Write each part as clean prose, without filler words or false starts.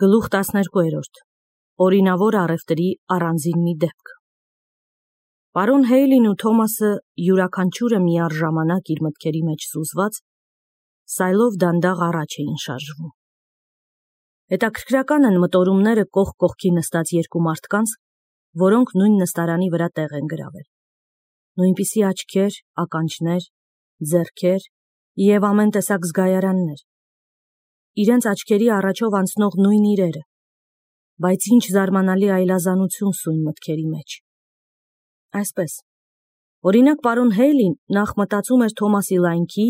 Գլուխ 12. Օրինավոր առևտրի առանձին մի դեպք։ Պարոն Հեյլին ու Թոմասը յուրաքանչյուրը միառժամանակ իր մտքերի մեջ սուզված, սայլով դանդաղ առաջ էին շարժվում։ Հետաքրքրական են մտորումները կողք կողքի նստած երկու մարդկանց, որոնք նույն նստարանի վրա տեղ են գրավել։ Նույնպիսի աչքեր, ականջներ, ձեռքեր և ամեն տեսակ զգայարաններ։ Իրենց աչքերի առաջով անցնող նույն իրերը, բայց ինչ զարմանալի այլազանություն սույն մտքերի մեջ։ Այսպես, օրինակ պարոն Հեյլին նախ մտածում էր Թոմասի լայնքի,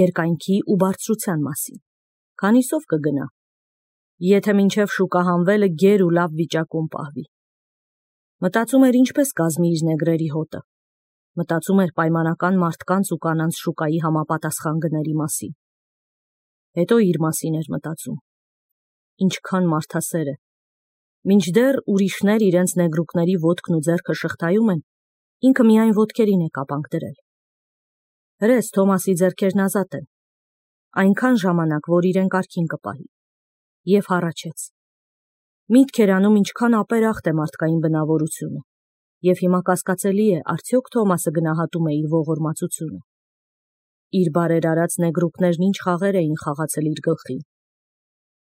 երկայնքի ու բարձրության մասին, քանիսով կգնա, եթե մինչև շուկահանվելը գեր ու լավ վիճակում պահվի։ Մտածում էր ինչպես կազմի իր նեգրերի հոտը, մտածում էր պայմանական մարդկանց ու կանանց շուկայի համապատասխան գների մասին։ Հետո իր մասին էր մտածում։ Ինչքան մարդասեր է։ Մինչդեռ ուրիշներ իրենց նեգրուկների ոտքն ու ձեռքը շղթայում են, ինքը միայն ոտքերին է կապանք դրել։ Հրես Թոմասի ձեռքերն ազատ են, այնքան ժամանակ, որ իրեն կարգին կպահի։ Եվ հառաչեց։ Միտք էր անում ինչքան ապերախտ է մարդկային բնավորությունը, և հիմա կասկածելի է, արդյոք Թոմասը գնահատում է իր ողորմածությունը։ Իր բարերարած նեգրուկներն ինչ խաղեր էին խաղացել իր գլխին։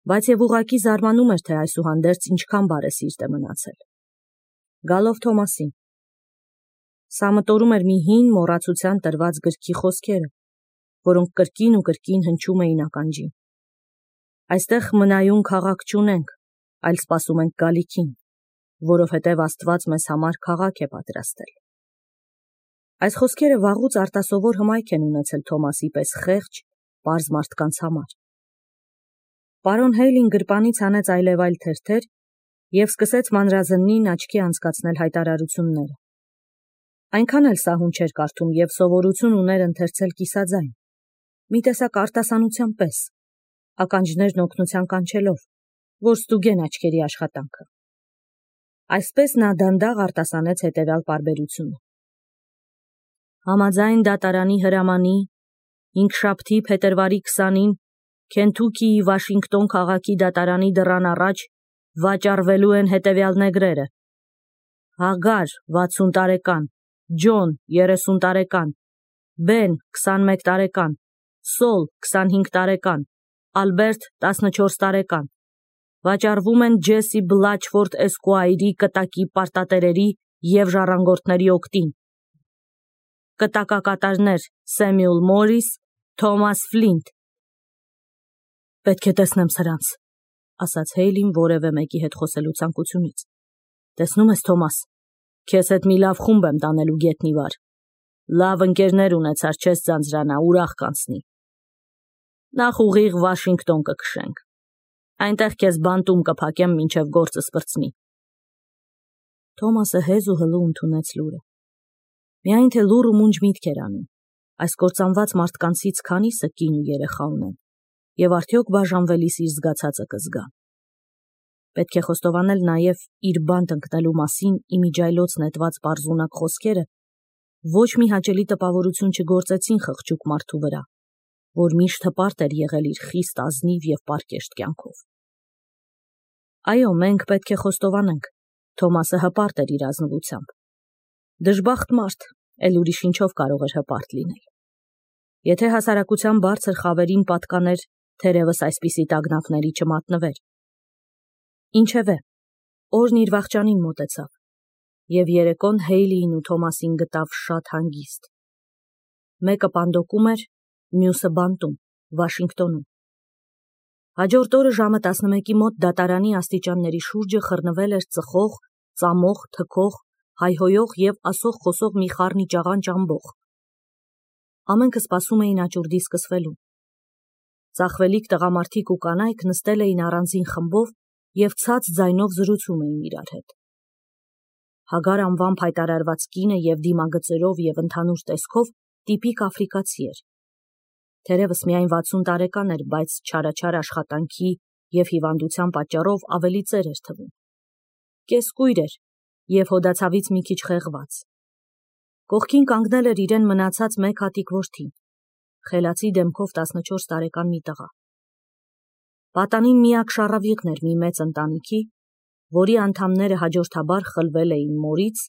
Բայց և ուղղակի զարմանում էր, թե այսուհանդերձ ինչքան բարեսիրտ է մնացել։ Գալով Թոմասին։ Սա մտորում էր մի հին մոռացության տրված գրքի խոսքերը, որոնք կրկին ու կրկին հնչում էին ականջին։ Այստեղ մնայուն քաղաք չունենք, այլ սպասում ենք գալիքին, որովհետև Աստված մեզ համար քաղաք է պատրաստել։ Այս խոսքերը վաղուց արտասովոր հմայք են ունեցել Թոմասի պես խեղճ, պարզ մարդկանց համար։ Պարոն Հեյլին գրպանից հանեց այլևայլ թերթեր և սկսեց մանրազնին աչքի անցկացնել հայտարարությունները։ Այնքան էլ սահուն չէր կարդում և սովորություն ուներ ընթերցել կիսաձայն, մի տեսակ արտասանության պես, ականջներն օգնության կանչելով, որ ստուգեն աչքերի աշխատանքը։ Այսպես նա դանդաղ արտասանեց հետևյալ պարբերությունը. Համաձայն դատարանի հրամանի, հինգշաբթի փետրվարի 20-ին Քենթուքիի Վաշինգտոն քաղաքի դատարանի դռան առաջ վաճառվելու են հետևյալ նեգրերը. Հագար 60 տարեկան, Ջոն 30 տարեկան, Բեն 21 տարեկան, Սոլ 25 տարեկան, Ալբերտ 14 տարեկան, վաճառվում են Ջեսի Բլաչֆորդ Էսկուայրի կտակի պարտատերերի և ժառանգորդների օգտին։ Կտակակատարներ Սեմյուել Մորիս, Թոմաս Ֆլինտ։ Պետք է տեսնեմ սրանց, ասաց Հեյլին որևէ մեկի հետ խոսելու ցանկությունից։ Տեսնում ես, Թոմաս, քեզ հետ մի լավ խումբ եմ տանելու գետնի վար։ Լավ ընկերներ ունեցար, չես ձանձրանա, ուրախ կանցնի։ Նախ ուղիղ Վաշինգտոն կքշենք։ Այնտեղ քեզ բանտում կփակեմ, մինչև գործը սպրծնի։ Թոմասը հեզ ու հլու ընդունեց լուրը։ Միայն թե լուռ ու մունջ միտք էր անում, այս կործանված մարդկանցից քանիսը կին ու երեխա ունեն, և արդյոք բաժանվելիս իր զգացածը կզգան։ Պետք է խոստովանել նաև իր բանտ ընկնելու մասին իմիջայլոց նետված պարզունակ խոսքերը ոչ մի հաճելի տպավորություն չգործեցին խղճուկ մարդու վրա, որ միշտ հպարտ էր եղել իր խիստ ազնիվ և պարկեշտ կյանքով։ Այո, մենք պետք է խոստովանենք, Թոմասը հպարտ էր իր ազնվությամբ։ Դժբախտ մարդ, էլ ուրիշ ինչով կարող էր հպարտ լինել։ Եթե հասարակության բարձր խավերին պատկաներ, թերևս այսպիսի տագնապների չմատնվեր։ Ինչևէ, օրն իր վախճանին մոտեցավ, և երեկոն Հեյլիին ու Թոմասին գտավ շատ հանգիստ։ Մեկը պանդոկում էր, մյուսը բանտում, Վաշինգտոնում։ Հաջորդ օրը ժամը 11-ի մոտ դատարանի աստիճանների շուրջը խռնվել էր ծխող, ծամող, թքող, հայհոյող և ասող-խոսող մի խառնի ճաղանճ ամբոխ։ Ամենքը սպասում էին աճուրդի սկսվելու։ Ծախվելիք տղամարդիկ ու կանայք նստել էին առանձին խմբով և ցած ձայնով զրուցում էին իրար հետ։ Հագար անվամբ հայտարարված կինը և դիմագծերով և ընդհանուր տեսքով տիպիկ աֆրիկացի էր։ Թերևս միայն 60 տարեկան էր, բայց չարաչար աշխատանքի և հիվանդության պատճառով ավելի ծեր էր թվում։ Կեսկույր էր և հոդացավից մի քիչ խեղված։ Կողքին կանգնել էր իրեն մնացած մեկ հատիկ որդին, խելացի դեմքով 14 տարեկան մի տղա։ Պատանին միակ շառավիղն էր մի մեծ ընտանիքի, որի անդամները հաջորդաբար խլվել էին մորից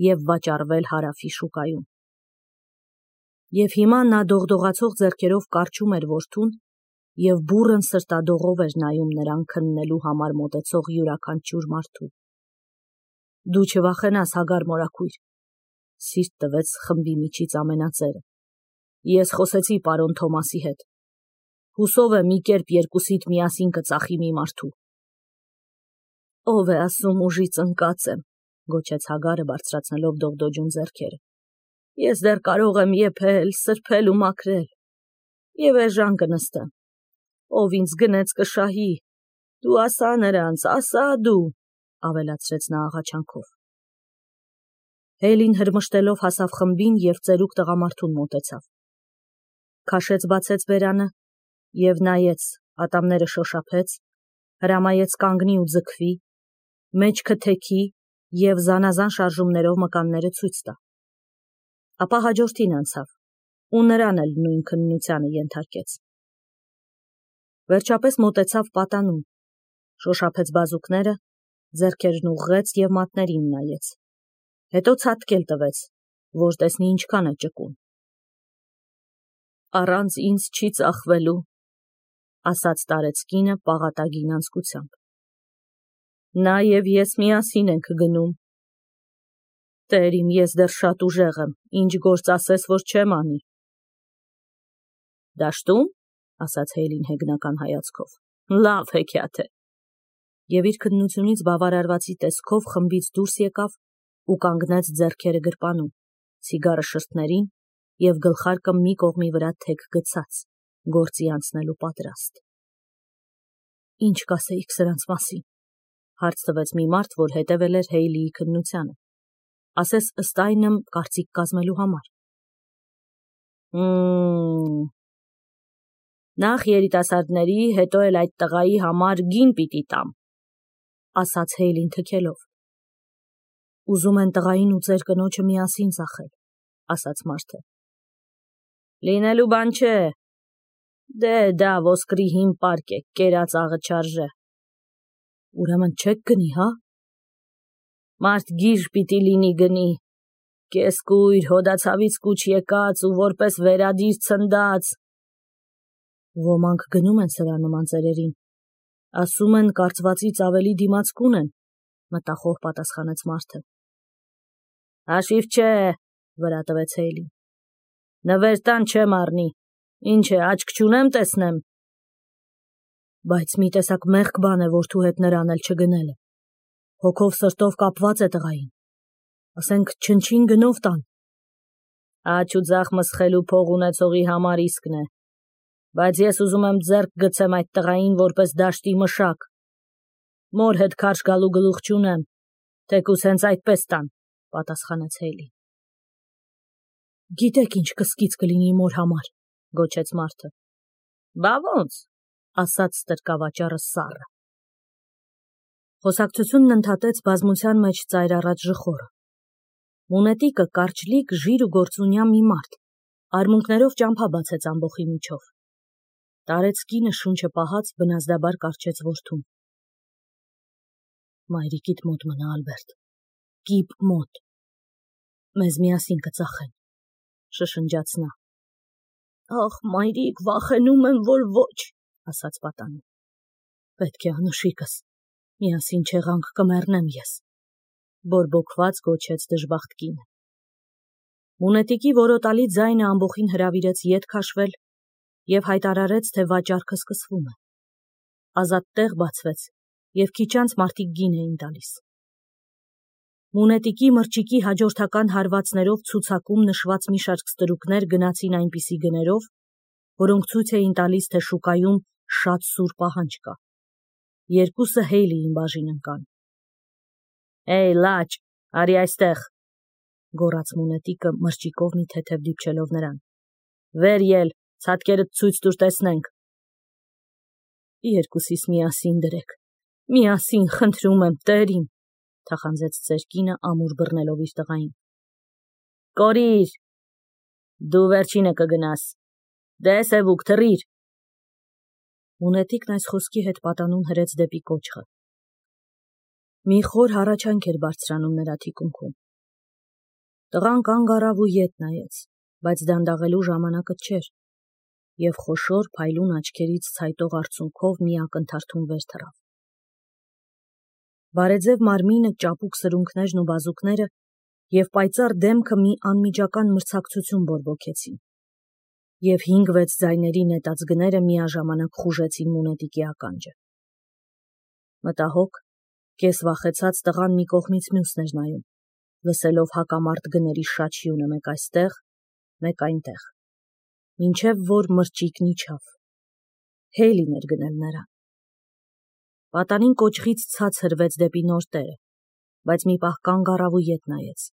և վաճառվել հարավի շուկայում։ Եվ հիմա նա դողդողացող ձեռքերով կարճում էր որդուն և բուռն սրտադողով էր նայում նրան քննելու համար մոտեցող յուրաքանչյուր մարդու։ Դու չվախենաս, Հագար մորաքույր, սիրտ տվեց խմբի միջից ամենածերը։ Ես խոսեցի պարոն Թոմասի հետ։ Հուսով եմ մի կերպ երկուսիդ միասին կծախի մի մարդու։ Ով է ասում ուժից ընկած եմ, գոչեց Հագարը բարձրացնելով դողդոջուն ձեռքերը։ Ես դեռ կարող եմ եփել, սրբել ու մաքրել։ Եվ էժան կնստեմ։ Ով ինձ գնեց կշահի։ Դու ասա նրանց, ասա դու, ավելացրեց նա աղաչանքով։ Հեյլին հրմշտելով հասավ խմբին և ծերուկ տղամարդուն մոտեցավ։ Քաշեց բացեց բերանը և նայեց, ատամները շոշափեց, հրամայեց կանգնի ու ձգվի, մեջքը թեքի և զանազան շարժումներով մկանները ցույց տա։ Ապա հաջորդին անցավ ու նրան էլ նույն քննությանը ենթարկեց։ Վերջապես մոտեցավ պատանուն, շոշափեց բազուկները, ձեռքերն ուղղեց և մատներին նայեց։ Հետո ցատկել տվեց, որ տեսնի ինչքան է ճկուն։ Առանց ինձ չի ծախվելու, ասաց տարեց կինը պաղատագին անձկությամբ։ Նա և ես միասին ենք գնում։ Տեր իմ, ես դեռ շատ ուժեղ եմ, ինչ գործ ասես, որ չեմ անի։ Դաշտում, ասաց Հեյլին հեգնական հայացքով, լավ հեքիաթ է։ Եվ իր քննությունից բավարարվածի տեսքով խմբից դուրս եկավ ու կանգնեց ձեռքերը գրպանում, ցիգարը շրթներին և գլխարկը մի կողմի վրա թեք գցած, գործի անցնելու պատրաստ։ Ինչ կասեիք սրանց մասին, հարց տվեց մի մարդ, որ հետևել էր Հեյլիի քննությանը, ասես ըստ այնմ կարծիք կազմելու համար։ Նախ երիտասարդների, հետո էլ այդ տղայի համար գին պիտի տամ, ասաց Հեյլին թքելով։ Ուզում են տղային ու ծեր կնոջը միասին ծախել, ասաց մարդը։ Լինելու բան չէ։ Դե դա ոսկրի հին պարկ է, կերած աղը չարժե։ Ուրեմն չեք գնի, հա։ Մարդ գիժ պիտի լինի գնի, կեսկույր, հոդացավից կուչ եկած ու որպես վերադիր ցնդած։ Ոմանք գնում են սրա նման ծերերին, ասում են կարծվածից ավելի դիմացկուն են, մտախոհ պատասխանեց մարդը։ Հաշիվ չէ, վրա տվեց Հեյլին։ Նվեր տան չեմ առնի, ինչ է, աչք չունեմ տեսնեմ։ Բայց մի տեսակ մեղք բան է որդու հետ նրան էլ չգնելը։ Հոգով սրտով կապված է տղային։ Ասենք չնչին գնով տան։ Աջ ու ձախ մսխելու փող ունեցողի համար իսկն է։ Բայց ես ուզում եմ ձեռք գցեմ այդ տղային որպես դաշտի մշակ։ Մոր հետ քարշ գալու գլուխ չունեմ, թեկուզ հենց այդպես տան, պատասխանեց Հեյլին։ Գիտեք ինչ կսկիծ կլինի մոր համար, գոչեց մարդը։ Բա ոնց, ասաց ստրկավաճառը սառը։ Խոսակցությունն ընդհատեց բազմության մեջ ծայրառած ժխորը։ Մունետիկը կարճլիկ, ժիր ու գործունյա մի մարդ, արմունկներով ճամփա բացեց ամբոխի միջով։ Տարեց կինը շունչը պահած բնազդաբար կառչեց որդուն։ Մայրիկիդ մոտ մնա, Ալբերտ, կիպ մոտ, մեզ միասին կծախեն, շշնջաց նա։ Ախ, մայրիկ, վախենում եմ, որ ոչ, ասաց պատանին։ Պետք է անուշիկս, միասին չեղանք կմեռնեմ ես, բորբոքված գոչեց դժբախտ կինը։ Մունետիկի որոտալի ձայնը ամբոխին հրավիրեց ետ քաշվել և հայտարարեց, թե վաճառքը սկսվում է։ Ազատ տեղ բացվեց և քիչ անց մարդիկ գին էին տալիս։ Մունետիկի մրջիկի հաջորդական հարվածներով ցուցակում նշված մի շարք ստրուկներ գնացին այնպիսի գներով, որոնք ցույց էին տալիս, թե շուկայում շատ սուր պահանջ կա։ Երկուսը Հեյլիին բաժին ընկան։ Էյ, լաջ, արի այստեղ, գոռաց մունետիկը մրջիկով մի թեթև դիպչելով նրան։ Վեր ել, ցատկերդ ցույց տուր տեսնենք։ Երկուսիս միասին դրեք, միասին խնդրում եմ, տեր իմ, թախանձեց ծեր կինը ամուր բռնելով իր տղային։ Կորիր, դու վերջինը կգնաս, դե սևուկ թռիր։ Մունետիկն այս խոսքի հետ պատանուն հրեց դեպի կոճղը։ Մի խոր հառաչանք էր բարձրանում նրա թիկունքում։ Տղան կանգ առավ ու ետ նայեց, բայց դանդաղելու ժամանակը չէր, և խոշոր փայլուն աչքերից ցայտող արցունքով մի ակնթարթում վեր թռավ։ Բարեձև մարմինը, ճապուկ սրունքներն ու բազուկները և պայծառ դեմքը մի անմիջական մրցակցություն բորբոքեցին, և 5-6 ձայների նետած գները միաժամանակ խուժեցին Մունետիկի ականջը։ Մտահոգ, կես վախեցած տղան մի կողմից մյուսն էր նայում, լսելով հակամարտ գների շաչյունը մեկ այստեղ, մեկ այնտեղ, մինչև որ մրճիկն իջավ։ Հեյլին էր գնել նրան։ Պատանին կոճղից ցած հրվեց դեպի նոր տերը, բայց մի պահ կանգ առավ ու ետ նայեց։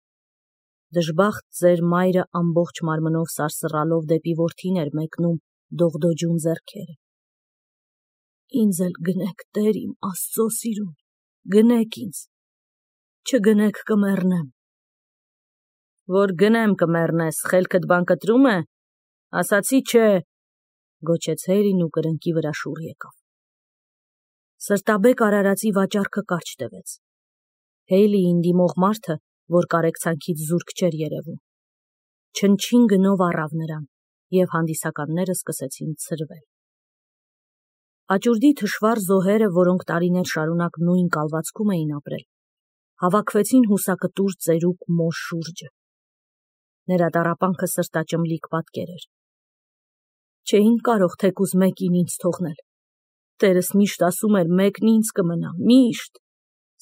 Դժբախտ ծեր մայրը ամբողջ մարմնով սարսռալով դեպի որդին էր մեկնում դողդոջուն ձեռքերը։ Ինձ էլ գնեք, Տեր իմ Աստծո սիրուն, գնեք ինձ, չգնեք կմեռնեմ։ Որ գնեմ կմեռնես, խելքդ բան կտրում է, ասացի չէ, գոչեց Հեյլին ու կրնկի վրա շուռ եկավ։ Սրտաբեկ արարածի վաճառքը կարճ տևեց։ Հեյլիին դիմող մարդը, որ կարեկցանքից զուրկ չէր երևում, չնչին գնով առավ նրան, և հանդիսականները սկսեցին ցրվել։ Աճուրդի թշվառ զոհերը, որոնք տարիներ շարունակ նույն կալվածքում էին ապրել, հավաքվեցին հուսակտուր ծերուկ մոր շուրջը։ Նրա տառապանքը սրտաճմլիկ պատկեր էր։ Չէին կարող թեկուզ մեկին ինձ թողնել։ Տերս միշտ ասում էր, մեկն ինձ կմնա, միշտ,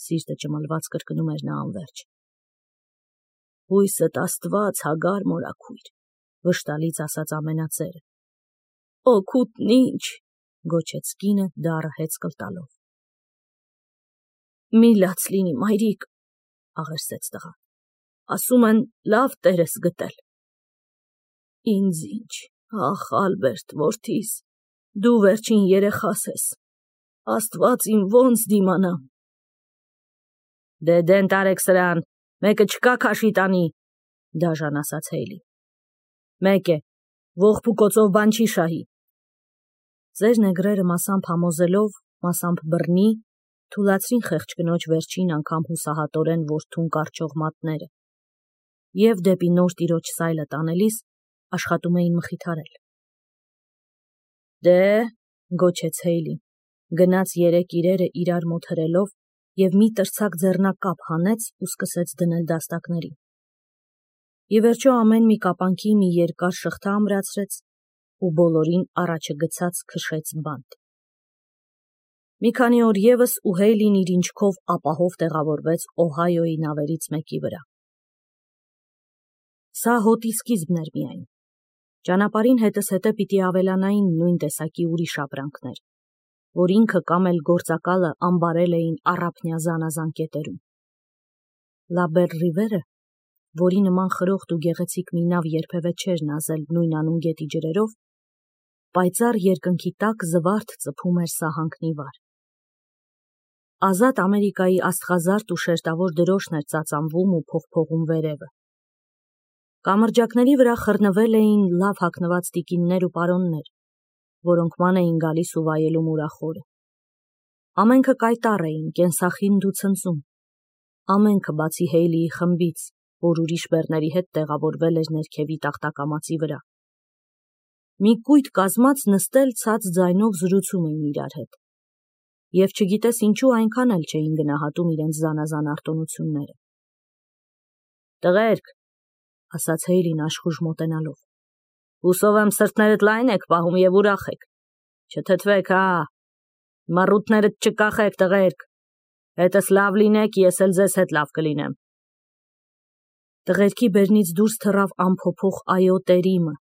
սիրտը ճմլված կրկնում էր նա անվերջ։ Հույսդ Աստված, Հագար մորաքույր, վշտալից ասաց ամենածերը։ Օգուտն ինչ, գոչեց կինը դառը հեծկլ տալով։ Մի լաց լինի, մայրիկ, աղերսեց տղան, ասում են լավ տեր ես գտել։ Ինձ ինչ, ախ Ալբերտ որդիս, դու վերջին երեխաս ես, Աստված իմ ոնց դիմանամ։ Դե դեն տարեք սրան, մեկը չկա քաշի տանի, դաժան ասաց Հեյլին։ Մեկ է, ողբ ու կոծով բան չի շահի։ Ձեր նեգրերը մասամբ համոզելով, մասամբ բռնի, թուլացրին խեղճ կնոջ վերջին անգամ հուսահատորեն որդուն կառչող մատները, և դեպի նոր տիրոջ սայլը տանելիս աշխատում էին մխիթարել։ Դե, գոչեց Հեյլին, գնաց 3 իրերը իրար մոտ հրելով և մի տրցակ ձեռնակապ հանեց ու սկսեց դնել դաստակներին։ Ի վերջո ամեն մի կապանքի մի երկար շղթա ամրացրեց ու բոլորին առաջը գցած քշեց բանտ։ Մի քանի օր ևս ու Հեյլին իր ինչքով ապահով տեղավորվեց Օհայոյի նավերից մեկի վրա։ Սա հոտի սկիզբն էր միայն։ Ճանապարհին հետզհետե պիտի ավելանային նույն տեսակի ուրիշ ապրանքներ, որ ինքը կամ էլ գործակալը ամբարել էին առափնյա զանազան կետերում։ Լա Բեր Ռիվերը, որի նման խրոխտ ու գեղեցիկ մի նավ երբևէ չէր նազել նույնանուն գետի ջրերով, պայծառ երկնքի տակ զվարթ ծփում էր սահանքնի վար։ Ազատ Ամերիկայի աստղազարդ ու շերտավոր դրոշն էր ծածանվում ու փողփողում վերևը։ Կամրջակների վրա խռնվել էին լավ հագնված տիկիններ ու պարոններ, որոնք ման էին գալիս ու վայելում ուրախորը։ Ամենքը կայտառ էին, կենսախինդ ու ցնծում, ամենքը բացի Հեյլիի խմբից, որ ուրիշ բեռների հետ տեղավորվել էր ներքևի տախտակամածի վրա։ Մի կույտ կազմած նստել ցած ձայնով զրուցում էին իրար հետ, և չգիտես ինչու այնքան էլ չէին գնահատում իրենց զանազան արտոնությունները։ Տղերք, ասաց Հեյլին աշխուժ մոտենալով, հուսով եմ սրտներդ լայն եք պահում և ուրախ եք, չթթվեք, հա, մռութներդ չկախեք, տղերք, հետս լավ լինեք, ես էլ ձեզ հետ լավ կլինեմ։ Տղերքի բերնից դուրս թռավ անփոփոխ այո տերիմը,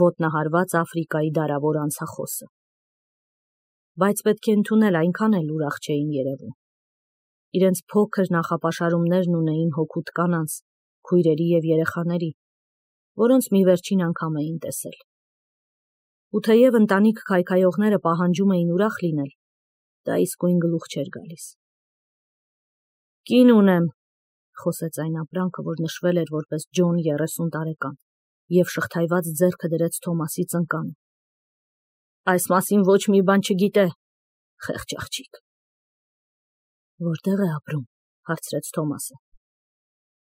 ոտնահարված Աֆրիկայի դարավոր անցախոսը։ Բայց պետք է ընդունել, այնքան էլ ուրախ չէին երևում։ Իրենց փոքր նախապաշարումներն ունեին հօգուտ կանանց, քույրերի և երեխաների, որոնց մի վերջին անգամ էին տեսել։ Ու թեև ընտանիք քայքայողները պահանջում էին ուրախ լինել, դա իսկույն գլուխ չէր գալիս։ Կին ունեմ, խոսեց այն ապրանքը, որ նշվել էր որպես Ջոն 30 տարեկան, և շղթայված ձեռքը դրեց Թոմասի ծնկանը։ Այս մասին ոչ մի բան չգիտե, խեղճ աղջիկ։ Որտեղ է ապրում, հարցրեց Թոմասը։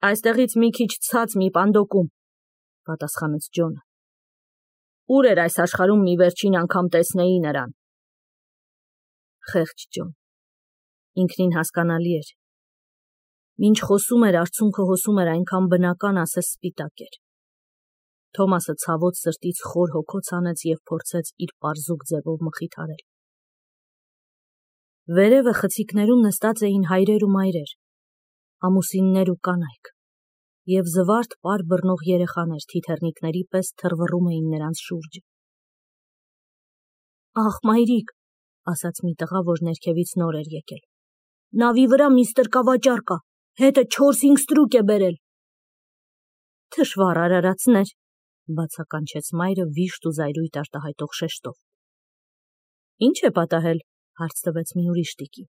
Այստեղից մի քիչ ցած մի պանդոկում, պատասխանեց Ջոնը։ Ուր էր այս աշխարհում մի վերջին անգամ տեսնեի նրան։ Խեղճ Ջոն, ինքնին հասկանալի էր։ Մինչ խոսում էր, արցունքը հոսում էր այնքան բնական, ասես սպիտակ էր։ Թոմասը ցավոտ սրտից խոր հոգոց անեց և փորձեց իր պարզուկ ձևով մխիթարել։ Վերևը խցիկներում նստած էին հայրեր ու մայրեր, ամուսիններ ու կանայք, և զվարթ պար բռնող երեխաներ թիթեռնիկների պես թռվռում էին նրանց շուրջը։ Ախ, մայրիկ, ասաց մի տղա, որ ներքևից նոր էր եկել։ Նավի վրա միստր կավաճառ կա, հետը 4-5 ստրուկ է բերել։ Թշվառ արարածներ, բացականչեց մայրը վիշտ ու զայրույթ արտահայտող շեշտով։ Ինչ է պատահել, հարց տվեց մի ուրիշ տիկին։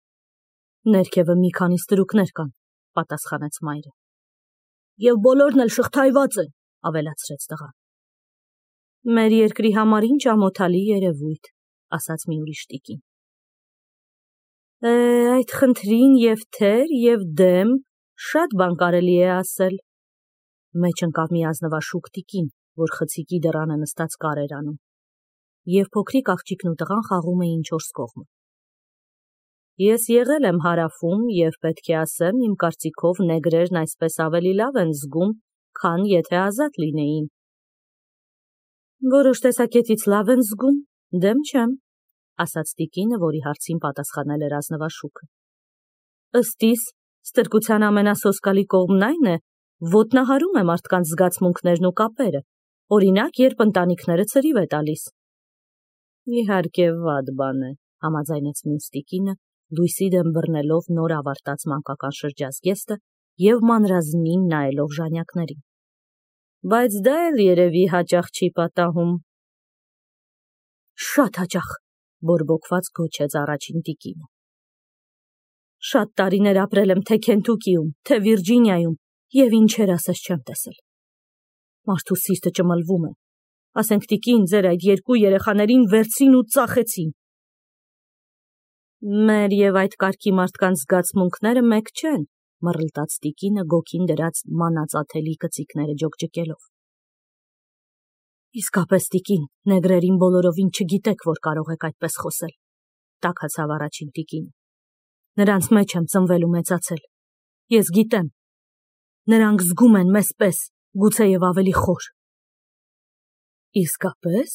Ներքևը մի քանի ստրուկներ կան, պատասխանեց մայրը։ Եվ բոլորն էլ շղթայված են, ավելացրեց տղան։ Մեր երկրի համար ինչ ամոթալի երևույթ, ասաց մի ուրիշ տիկին։ Այդ խնդրին և թեր, և դեմ, շատ բան կարելի է ասել։ Մեջ ընկավ մի ազնվաշուք տիկին, որ խցիկի դռանը նստած կար էր անում, և փոքրիկ աղջիկն ու տղան խաղում էին 4 կողմը։ Ես եղել եմ Հարավում և պետք է ասեմ, իմ կարծիքով նեգրերն այսպես ավելի լավ են զգում, քան եթե ազատ լինեին։ Որոշ տեսակետից լավ են զգում, դեմ չեմ, ասաց տիկինը, որի հարցին պատասխանել էր ազնվաշուքը։ Ըստ իս, ստրկության ամենասոսկալի կողմն այն է, ոտնահարում է մարդկանց զգացմունքներն ու կապերը, օրինակ, երբ ընտանիքները ցրիվ է տալիս։ Իհարկե, վատ բան է, համաձայնեց մյուս տիկինը, լույսի դեմ բռնելով նոր ավարտած մանկական շրջազգեստը և մանրազնին նայելով ժանյակներին։ Բայց դա էլ երևի հաճախ չի պատահում։ Շատ հաճախ, բորբոքված գոչեց առաջին տիկինը։ Շատ տարիներ ապրել եմ թե Քենթուկիում, թե Վիրջինիայում, և ինչեր ասես չեմ տեսել։ Մարդու սիրտը ճմլվում է։ Ասենք տիկին, ձեր այդ 2 երեխաներին վերցրին ու ծախեցին։ Մեր և այդ կարգի մարդկանց զգացմունքները մեկ չեն, մռլտաց տիկինը գոգին դրած մանածաթելի կծիկները ջոկջկելով։ Իսկապես տիկին, նեգրերին բոլորովին չգիտեք, որ կարող եք այդպես խոսել, տաքացավ առաջին տիկինը։ Նրանց մեջ եմ ծնվել ու մեծացել։ Ես գիտեմ։ Նրանք զգում են մեզ պես, գուցեև ավելի խոր։ Իսկապես,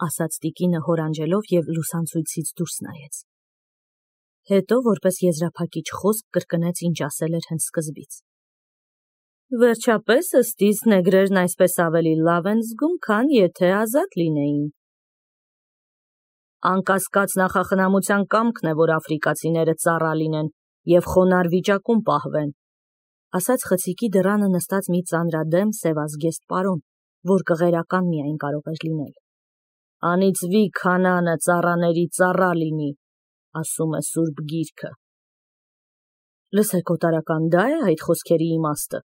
ասաց տիկինը հորանջելով և լուսանցույցից դուրս նայեց։ Հետո, որպես եզրափակիչ խոսք, կրկնեց, ինչ ասել էր հենց սկզբից։ Վերջապես, ըստ իս, նեգրերն այսպես ավելի լավ են զգում, քան եթե ազատ լինեին։ Անկասկած նախախնամության կամքն է, որ աֆրիկացիները ծառա լինեն և խոնարհ վիճակում պահվեն, ասաց խցիկի դռանը նստած մի ծանրադեմ սևազգեստ պարոն, որ կղերական միայն կարող էր լինել։ Անիծվի քանանը ծառաների ծառա լինի, ասում է Սուրբ Գիրքը։ Լսեք, օտարական, դա է այդ խոսքերի իմաստը,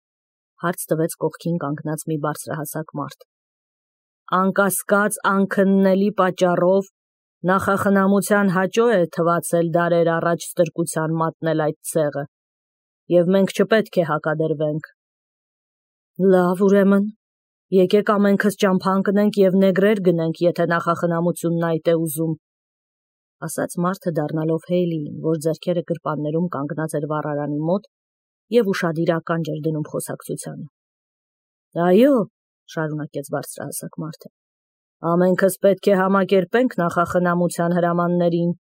հարց տվեց կողքին կանգնած մի բարձրահասակ մարդ։ Անկասկած անքննելի պատճառով նախախնամության հաճո է թվացել դարեր առաջ ստրկության մատնել այդ ցեղը, և մենք չպետք է հակադրվենք։ Լավ, ուրեմն, եկեք ամենքս ճամփա ընկնենք և նեգրեր գնենք, եթե նախախնամությունն այդ է ուզում, ասաց մարդը դառնալով Հեյլիին, որ ձեռքերը գրպաններում կանգնած էր վառարանի մոտ և ուշադիր ականջ էր դնում խոսակցությանը։ Այո, շարունակեց բարձրահասակ մարդը, ամենքս պետք է համակերպենք նախախնամության հրամաններին։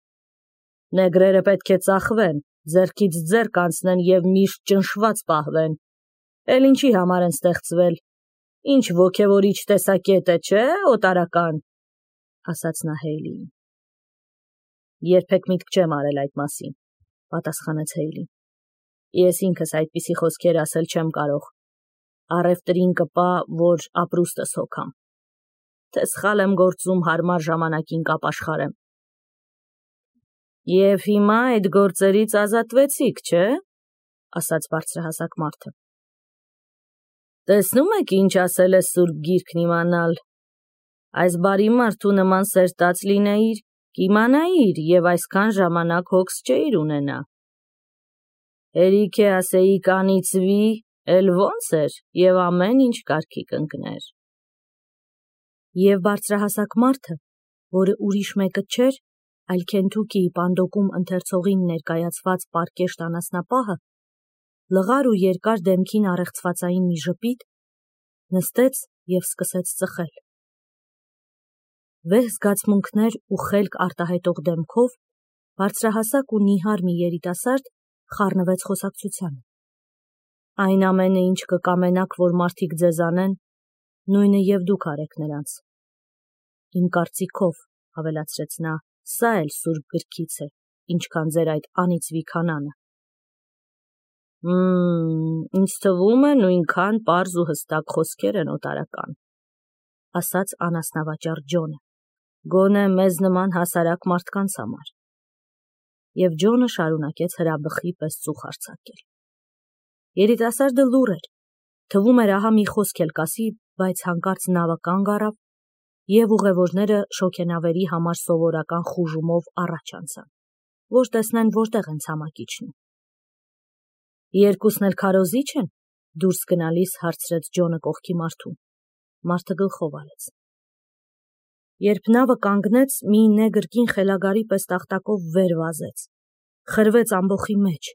Նեգրերը պետք է ծախվեն, ձեռքից ձեռք անցնեն և միշտ ճնշված պահվեն։ Էլ ինչի համար են ստեղծվել։ Ինչ ոգևորիչ տեսակետ է, չէ, օտարական, ասաց նա Հեյլիին։ Երբեք միտք չեմ արել այդ մասին, պատասխանեց Հեյլին։ Ես ինքս այդպիսի խոսքեր ասել չեմ կարող։ Առևտրին կպա, որ ապրուստս հոգամ։ Թե սխալ եմ գործում, հարմար ժամանակին կապաշխարեմ։ Եվ հիմա այդ գործերից ազատվեցիք, չէ, ասաց բարձրահասակ մարդը։ Տեսնում եք, ինչ ասել է Սուրբ Գիրքն իմանալ։ Այս բարի մարդու նման սերտած լինեիր, կիմանայիր և այսքան ժամանակ հոգս չէիր ունենա։ Հերիք է ասեիք անիծվի, էլ ոնց էր, և ամեն ինչ կարգի կընկներ։ Եվ բարձրահասակ մարդը, որը ուրիշ մեկը չէր, այլ Քենթուքիի Պանդոկում ընթերցողին ներկայացված պարկեշտ անասնապահը, լղար ու երկար դեմքին առեղծվածային մի ժպիտ, նստեց և սկսեց ծխել։ Վեհ զգացմունքներ ու խելք արտահայտող դեմքով բարձրահասակ ու նիհար մի երիտասարդ խառնվեց խոսակցությանը։ Այն ամենը, ինչ կկամենաք, որ մարդիկ ձեզ անեն, նույնը և դուք արեք նրանց։ Իմ կարծիքով, ավելացրեց նա, սա էլ սուրբ գրքից է, ինչքան ձեր այդ անիծվի քանանը։ Ինձ թվում է նույնքան պարզ ու հստակ խոսքեր են օտարական, ասաց անասնավաճառ Ջոնը, գոնե մեզ նման հասարակ մարդկանց համար։ Եվ Ջոնը շարունակեց հրաբխի պես ծուխ արձակել։ Երիտասարդը լուռ էր, թվում էր ահա մի խոսք էլ կասի, բայց հանկարծ նավը կանգ առավ, և ուղևորները շոգենավերի համար սովորական խուժումով առաջ անցան, որ տեսնեն որտեղ են ցամաքիչն։ Երկուսն էլ քարոզի՞չ են, դուրս գնալիս հարցրեց Ջոնը կողքի մարդուն։ Մարդը գլխով արեց։ Երբ նավը կանգնեց, մի նեգր կին խելագարի պես տախտակով վեր վազեց, խրվեց ամբոխի մեջ,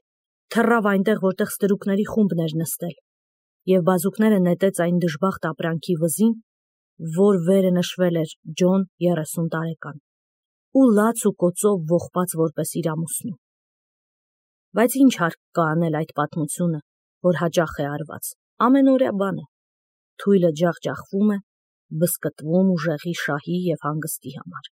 թռավ այնտեղ, որտեղ ստրուկների խումբն էր նստել, և բազուկները նետեց այն դժբախտ ապրանքի վզին, որ վերը նշվել էր Ջոն 30 տարեկան, ու լաց ու կոծով ողբած որպես իր ամուսնու։ Բայց ինչ հարկ կա անել այդ պատմությունը, որ հաճախ է արված, ամենօրյա բան է, թույլը ջախջախվում է, բզկտվում ուժեղի շահի և հանգստի համար։